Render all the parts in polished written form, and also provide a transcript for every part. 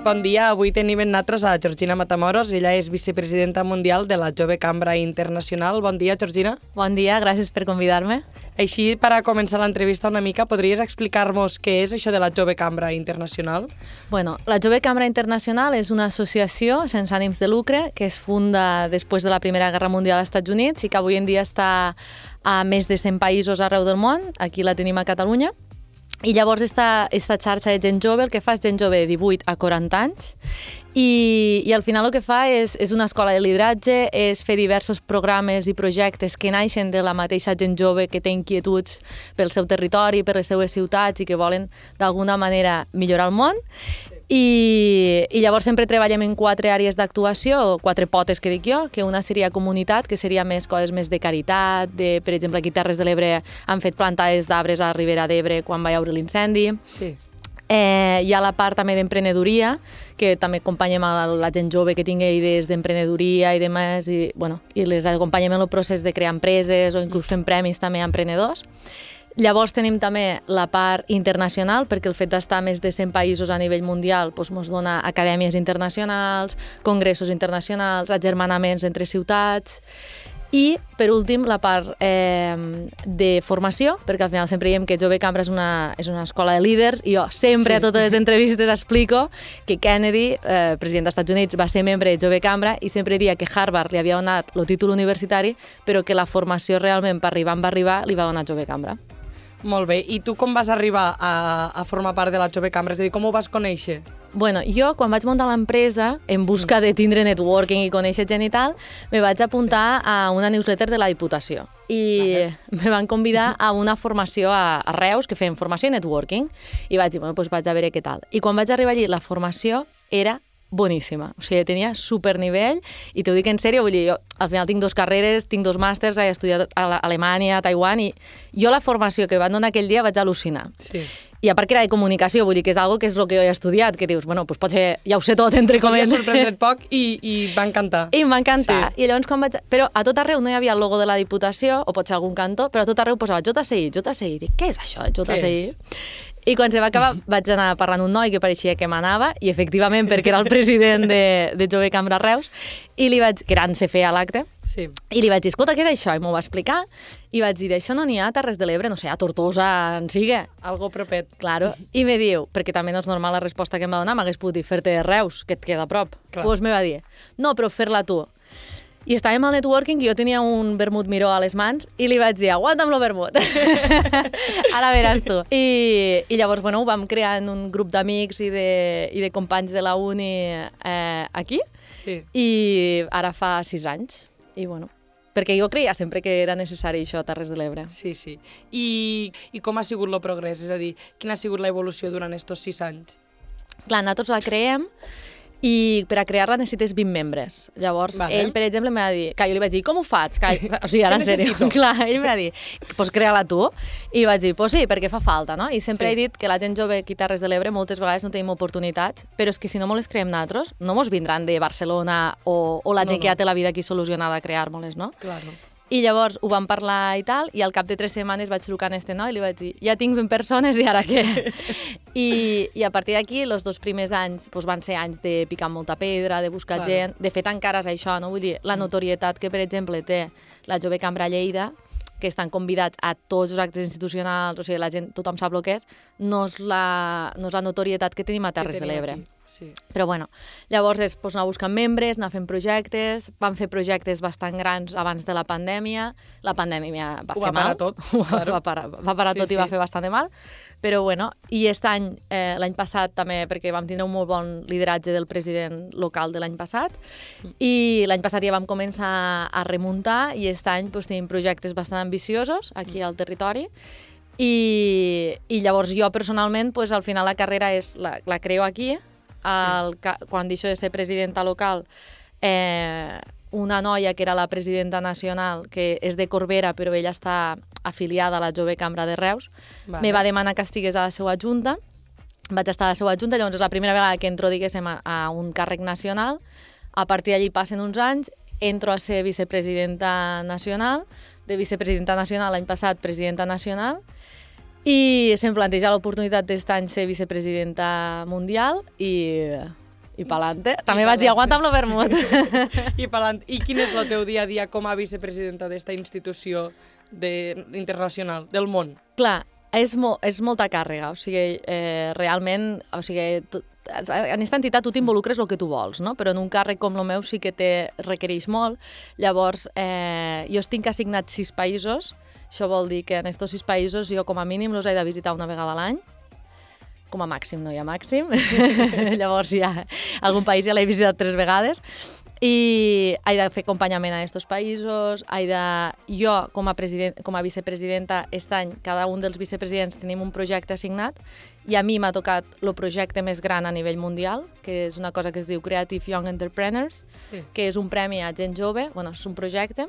Bon dia, avui tenim en nosaltres a Georgina Matamoros. Ella és vicepresidenta mundial de la Jove Cambra Internacional. Bon dia, Georgina. Bon dia, gràcies per convidar-me. Així, per a començar l'entrevista una mica, podries explicar-nos què és això de la Jove Cambra Internacional? Bueno, la Jove Cambra Internacional és una associació sense ànims de lucre que es funda després de la Primera Guerra Mundial als Estats Units i que avui en dia està a més de 100 països arreu del món. Aquí la tenim a Catalunya. I llavors esta xarxa de gent jove el que fa és gent jove de 18 a 40 anys i al final el que fa és una escola de lideratge, és fer diversos programes i projectes que naixen de la mateixa gent jove que té inquietuds pel seu territori, per les seues ciutats i que volen d'alguna manera millorar el món. I llavors sempre treballem en 4 àrees d'actuació, 4 potes que dic jo, que una seria comunitat, que seria més coses més de caritat, per exemple, aquí a Terres de l'Ebre han fet plantades d'arbres a la Ribera d'Ebre quan va haure l'incendi. Sí. Hi ha la part també d'emprenedoria, que també acompanyem a la gent jove que tingui idees d'emprenedoria i demés, i les acompanyem en el procés de crear empreses o inclús fem premis també a emprenedors. Llavors tenim també la part internacional, perquè el fet d'estar a més de 100 països a nivell mundial ens dona acadèmies internacionals, congressos internacionals, agermanaments entre ciutats. I, per últim, la part de formació, perquè al final sempre diem que Jove Cambra és una escola de líders i jo sempre a totes les entrevistes explico que Kennedy, president dels Estats Units, va ser membre de Jove Cambra i sempre dia que Harvard li havia donat el títol universitari, però que la formació realment per arribar on va arribar li va donar Jove Cambra. Molt bé. I tu com vas arribar a formar part de la Jove Cambra? És a dir, com ho vas conèixer? Bueno, jo quan vaig muntar l'empresa, en busca de tindre networking i conèixer gent i tal, me vaig apuntar a una newsletter de la Diputació i me van convidar a una formació a Reus, que feien formació i networking, i vaig dir, bueno, doncs vaig a veure què tal. I quan vaig arribar allí, la formació era boníssima, o sigui, tenia supernivell i t'ho dic en sèrio, vull dir, jo al final tinc 2 carreres, tinc 2 màsters, he estudiat a Alemanya, a Taiwan i jo la formació que van donar aquell dia vaig al·lucinar. Sí. I a part que era de comunicació, vull dir que és algo que és el que jo he estudiat, que dius, bueno, doncs potser ja ho sé tot, entre cometes. M'ha sorprendre't poc i va encantar. I em va encantar. Sí. I llavors quan vaig... Però a tot arreu no hi havia el logo de la Diputació, o potser algun cantó, però a tot arreu posava JCI. Dic, què és això, JCI? I quan se va acabar vaig anar parlant un noi que pareixia que m'anava, i efectivament perquè era el president de Jove Cambra Reus, i li vaig, que era en CFE a l'acte, sí. I li vaig dir, escolta, què és això? I m'ho va explicar, i vaig dir, això no n'hi ha a Terres de l'Ebre, no sé, a Tortosa, en sigue. Algo propet. Claro. I me diu, perquè també no és normal la resposta que em va donar, m'hagués pogut dir, fer-te de Reus, que et queda a prop. Doncs me va dir, no, però fer-la tu. I estàvem al networking i jo tenia un vermut miró a les mans i li vaig dir, aguanta'm lo vermut. Ara veràs tu. I llavors, bueno, ho vam crear en un grup d'amics i de companys de la uni aquí. Sí. I ara fa 6 anys. I bueno, perquè jo creia sempre que era necessari això a Terres de l'Ebre. Sí, sí. I com ha sigut el progrés? És a dir, quina ha sigut l'evolució durant aquests 6 anys? Clar, nosaltres la creem i per a crear-la necessites 20 membres. Llavors, ell, per exemple, m'ha dit... Que jo li vaig dir, com ho faig? O sigui, ara en sèrio. Clar, ell m'ha dit, doncs crea-la tu. I vaig dir, doncs sí, perquè fa falta, no? I sempre he dit que la gent jove aquí a Terres de l'Ebre moltes vegades no tenim oportunitats, però és que si no les creem nosaltres, no mos vindran de Barcelona o la gent que ja té la vida aquí solucionada a crear-nos, no? Claro. I llavors ho vam parlar i tal, i al cap de 3 setmanes vaig trucar a este noi i li vaig dir, ja tinc 20 persones i ara què? I a partir d'aquí, els 2 primers anys van ser anys de picar molta pedra, de buscar gent, de fet encara és això, no? Vull dir, la notorietat que, per exemple, té la Jove Cambra Lleida, que estan convidats a tots els actes institucionals, o sigui, la gent, tothom sap el que és, no és la notorietat que tenim a Terres de l'Ebre. Sí. Però bueno, llavors és anar buscant membres, anar fent projectes, vam fer projectes bastant grans abans de la pandèmia va fer mal. Va parar tot i va fer bastant de mal, però bueno, i aquest any, l'any passat també, perquè vam tindre un molt bon lideratge del president local de l'any passat, i l'any passat ja vam començar a remuntar, i aquest any tenim projectes bastant ambiciosos aquí al territori, i llavors jo personalment, al final la carrera la creo aquí. Quan deixo de ser presidenta local, una noia que era la presidenta nacional, que és de Corbera, però ella està afiliada a la Jove Cambra de Reus, me va demanar que estigués a la seva junta, vaig estar a la seva junta, llavors és la primera vegada que entro, diguéssim, a un càrrec nacional, a partir d'allí passen uns anys, entro a ser vicepresidenta nacional, de vicepresidenta nacional l'any passat presidenta nacional, i se'm planteja l'oportunitat d'aquest any ser vicepresidenta mundial i I pa'lante. També vaig dir, aguanta amb lo vermut. I pa'lante. I quin és el teu dia a dia com a vicepresidenta d'esta institució internacional, del món? Clar, és molta càrrega, o sigui, realment, o sigui, en aquesta entitat tu t'involucres el que tu vols, no? Però en un càrrec com el meu sí que requereix molt. Llavors, jo estic assignat 6 països, això vol dir que en aquests 6 països jo com a mínim els he de visitar una vegada a l'any, com a màxim no hi ha màxim, llavors ja algun país ja l'he visitat 3 vegades, i he de fer acompanyament a aquests països, jo com a vicepresidenta aquest any, cada un dels vicepresidents tenim un projecte assignat, i a mi m'ha tocat el projecte més gran a nivell mundial, que és una cosa que es diu Creative Young Entrepreneurs, que és un premi a gent jove, és un projecte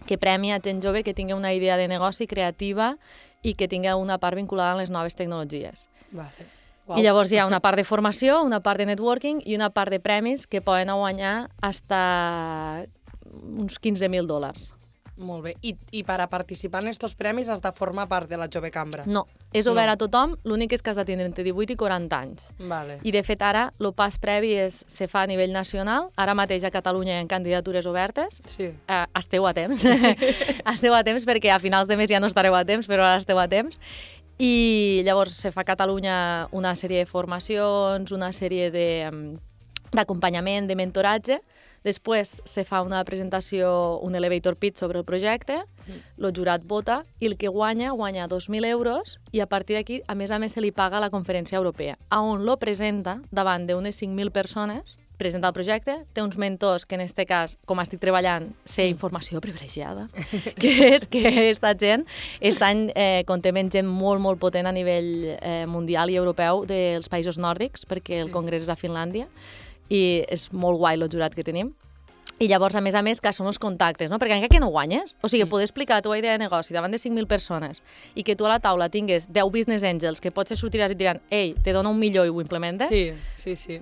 que premia a gent jove que tingui una idea de negoci creativa i que tingui una part vinculada a les noves tecnologies. Vale. Wow. I llavors hi ha una part de formació, una part de networking i una part de premis que poden guanyar fins a uns $15,000. Molt bé. I per a participar en aquests premis has de formar part de la Jove Cambra? No, és obert a tothom, l'únic és que has de tindre entre 18 i 40 anys. Vale. I de fet ara el pas previ se fa a nivell nacional, ara mateix a Catalunya hi ha candidatures obertes, sí. Esteu a temps, esteu a temps perquè a finals de mes ja no estareu a temps, però ara esteu a temps. I llavors se fa a Catalunya una sèrie de formacions, una sèrie d'acompanyament, de mentoratge. Després se fa una presentació, un elevator pitch sobre el projecte, el jurat vota i el que guanya 2.000 euros i a partir d'aquí, a més se li paga a la Conferència Europea, on lo presenta davant d'unes 5.000 persones, presenta el projecte, té uns mentors que en aquest cas, com estic treballant, sé informació privilegiada, que és que aquesta gent estan content gent molt, molt potent a nivell mundial i europeu dels països nòrdics, perquè el congrés és a Finlàndia, i és molt guai el jurat que tenim. I llavors, a més, que són els contactes, no? Perquè encara que no guanyes, o sigui, poder explicar la teva idea de negoci davant de 5.000 persones i que tu a la taula tingues 10 business angels que potser sortiràs i et diran ei, te dono $1 milió i ho implementes. Sí.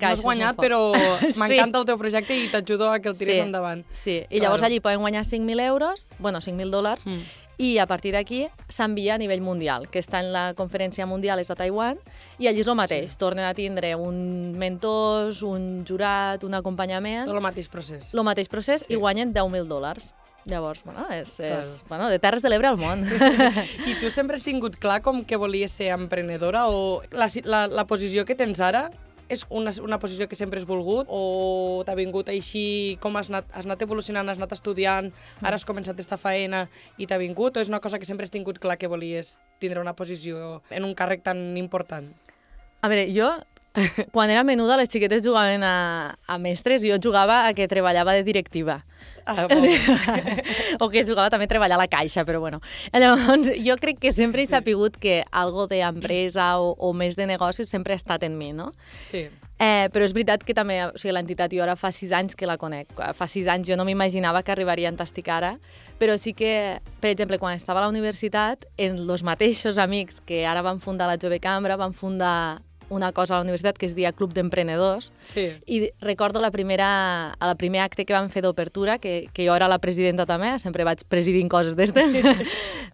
No has guanyat, però m'encanta el teu projecte i t'ajudo a que el tires endavant. Sí, i llavors allí poden guanyar $5.000, i a partir d'aquí s'envia a nivell mundial, que està en la conferència mundial, és a Taiwan, i allí és el mateix, tornen a tindre un mentors, un jurat, un acompanyament... Tot el mateix procés. El mateix procés i guanyen $10.000. Llavors, és de Terres de l'Ebre al món. I tu sempre has tingut clar com que volies ser emprenedora o la posició que tens ara és una posició que sempre has volgut o t'ha vingut així com has anat evolucionant, has anat estudiant, ara has començat esta faena i t'ha vingut o és una cosa que sempre has tingut clar que volies tindre una posició en un càrrec tan important? A veure, jo quan era menuda les xiquetes jugaven a mestres i jo jugava a que treballava de directiva. O que jugava també a treballar a la caixa, però bueno. Llavors, jo crec que sempre he sapigut que algo d'empresa o més de negocis sempre ha estat en mi, no? Sí. Però és veritat que també, o sigui, l'entitat jo ara fa 6 anys que la conec. Fa 6 anys jo no m'imaginava que arribaria on estic ara, però sí que, per exemple, quan estava a la universitat, els mateixos amics que ara van fundar la Jove Cambra van fundar una cosa a la universitat que es deia Club d'Emprenedors. Sí. I recordo el primer acte que vam fer d'obertura, que jo era la presidenta també, sempre vaig presidint coses d'estes.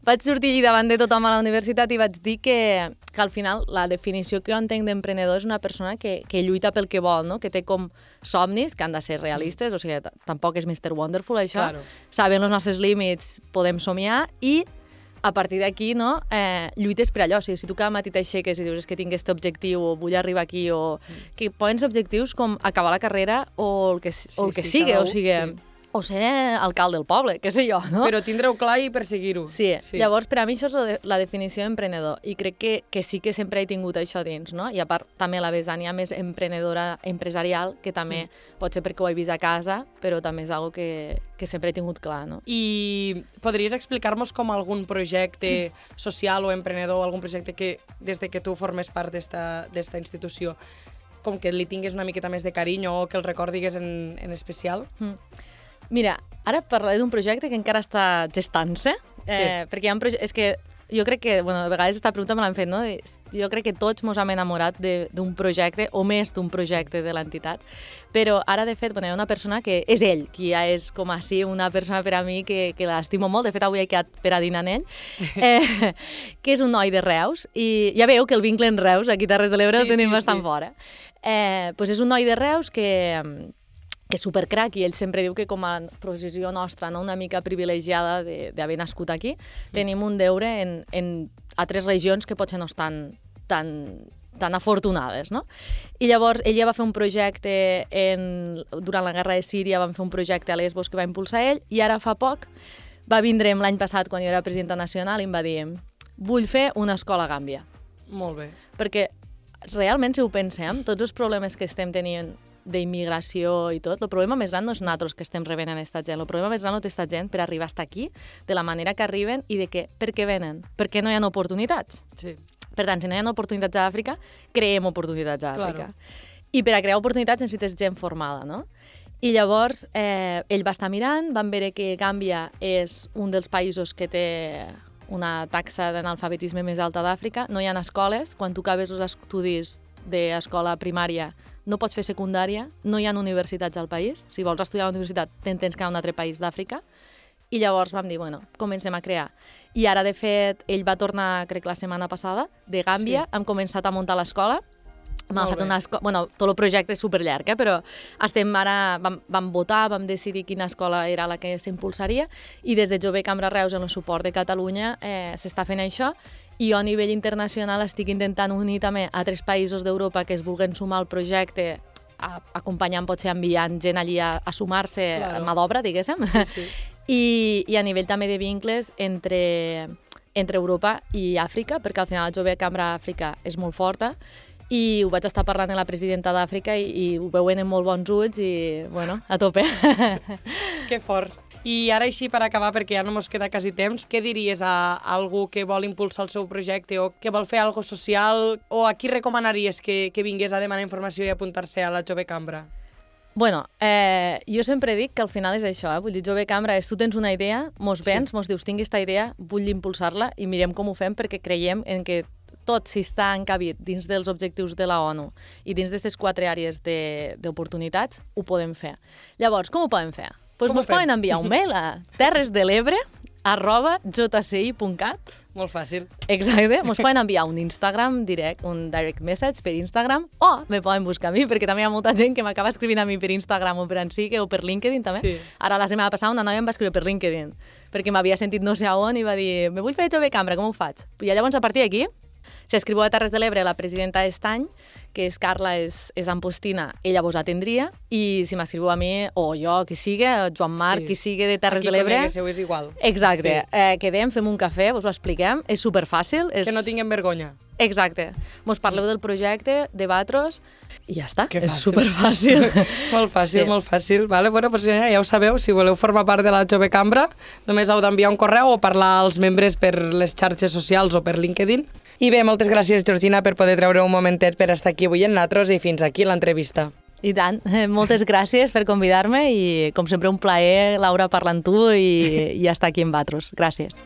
Vaig sortir allà davant de tothom a la universitat i vaig dir que al final la definició que jo entenc d'emprenedor és una persona que lluita pel que vol, no? Que té com somnis que han de ser realistes, o sigui, tampoc és Mr. Wonderful això. Claro. Sabent els nostres límits podem somiar i a partir d'aquí, no, lluites per allò. O sigui, si tu cada matí t'aixeques i dius que tinc aquest objectiu o vull arribar aquí, o que poden ser objectius com acabar la carrera o el que sigui, o sigui... O ser alcalde del poble, què sé jo, no? Però tindre-ho clar i perseguir-ho. Sí, llavors per a mi això és la definició d'emprenedor i crec que sí que sempre he tingut això dins, no? I a part també la Besània més emprenedora empresarial, que també pot ser perquè ho he vist a casa, però també és algo que sempre he tingut clar, no? I podries explicar-nos com algun projecte social o emprenedor, algun projecte que des de que tu formes part d'esta institució, com que li tingues una miqueta més de carinyo o que el recordigues en especial? Mira, ara parlaré d'un projecte que encara està gestant-se, perquè hi ha és que jo crec que, bueno, a vegades aquesta pregunta me l'han fet, no? Jo crec que tots ens hem enamorat d'un projecte, o més d'un projecte de l'entitat, però ara, de fet, bueno, hi ha una persona que és ell, que ja és com així una persona per a mi que l'estimo molt, de fet, avui he quedat per a dinar amb ell, que és un noi de Reus, i ja veieu que el vincle en Reus, aquí a Terres de l'Ebre, el tenim bastant fora. Pues és un noi de Reus que és supercrac, i ell sempre diu que com a posició nostra, no, una mica privilegiada d'haver nascut aquí, tenim un deure en altres regions que potser no estan tan afortunades, no? I llavors ell ja va fer un projecte durant la guerra de Síria, vam fer un projecte a Lesbos que va impulsar ell, i ara fa poc va vindre'm l'any passat, quan jo era presidenta nacional, i em va dir: vull fer una escola a Gàmbia. Molt bé. Perquè realment, si ho pensem, tots els problemes que estem tenint d'immigració i tot, el problema més gran no és nosaltres que estem rebent en aquesta gent, el problema més gran no té aquesta gent per arribar fins aquí, de la manera que arriben i de per què venen, perquè no hi ha oportunitats. Sí. Per tant, si no hi ha oportunitats a Àfrica, creem oportunitats a Àfrica. I per a crear oportunitats necessites gent formada, no? I llavors ell va estar mirant, van veure que Gàmbia és un dels països que té una taxa d'analfabetisme més alta d'Àfrica, no hi ha escoles, quan tu acabes els estudis d'escola primària no pots fer secundària, no hi ha universitats al país, si vols estudiar a la universitat tens que anar a un altre país d'Àfrica, i llavors vam dir, bueno, comencem a crear. I ara, de fet, ell va tornar, crec, la setmana passada, de Gàmbia, hem començat a muntar l'escola, bueno, tot el projecte és superllarg, però vam votar, vam decidir quina escola era la que s'impulsaria, i des de Jove Cambra Reus, en el suport de Catalunya, s'està fent això, i jo a nivell internacional estic intentant unir també altres països d'Europa que es vulguin sumar al projecte, acompanyant, potser enviant gent allí a sumar-se a mà d'obra, diguéssim, i a nivell també de vincles entre Europa i Àfrica, perquè al final el Jove Cambra Àfrica és molt forta, i ho vaig estar parlant amb la presidenta d'Àfrica i ho veuen amb molt bons ulls i, bueno, a tope. Que fort. I ara així, per acabar, perquè ja no mos queda quasi temps, què diries a algú que vol impulsar el seu projecte o que vol fer alguna cosa social, o a qui recomanaries que vingués a demanar informació i apuntar-se a la Jove Cambra? Bueno, jo sempre dic que al final és això, vull dir, Jove Cambra és tu tens una idea, mos vens, mos dius, tinc aquesta idea, vull impulsar-la i mirem com ho fem perquè creiem en que tot, si està encabit dins dels objectius de la ONU i dins d'aquestes 4 àrees d'oportunitats, ho podem fer. Llavors, com ho podem fer? Doncs ens poden enviar un mail a terresdelebre@jci.cat. Molt fàcil. Exacte. Ens poden enviar un Instagram direct, un direct message per Instagram, o me poden buscar a mi, perquè també hi ha molta gent que m'acaba escrivint a mi per Instagram o per Ansique o per LinkedIn també. Sí. Ara, la setmana passada, una noia em va escriure per LinkedIn, perquè m'havia sentit no sé a on i va dir, me vull fer Jove Cambra, com ho faig? I llavors, a partir d'aquí, si escriveu a Terres de l'Ebre, la presidenta d'Estany, que és Carla, és Ampostina, ella vos atendria, i si m'escriveu a mi, o jo, qui sigui, Joan Marc, qui sigui de Terres de l'Ebre... Aquí conegueu és igual. Exacte. Sí. Quedem, fem un cafè, vos ho expliquem, és superfàcil. Que no tinguem vergonya. Exacte. Mos parleu del projecte, debatros, i ja està. És superfàcil. Molt fàcil, sí. Molt fàcil. Vale, bueno, pues ja ho sabeu, si voleu formar part de la Jove Cambra, només heu d'enviar un correu o parlar als membres per les xarxes socials o per LinkedIn. I bé, moltes gràcies, Georgina, per poder treure un momentet per estar aquí avui en Natros i fins aquí l'entrevista. I tant. Moltes gràcies per convidar-me i, com sempre, un plaer, Laura, parlar amb tu i estar aquí amb vosaltres. Gràcies.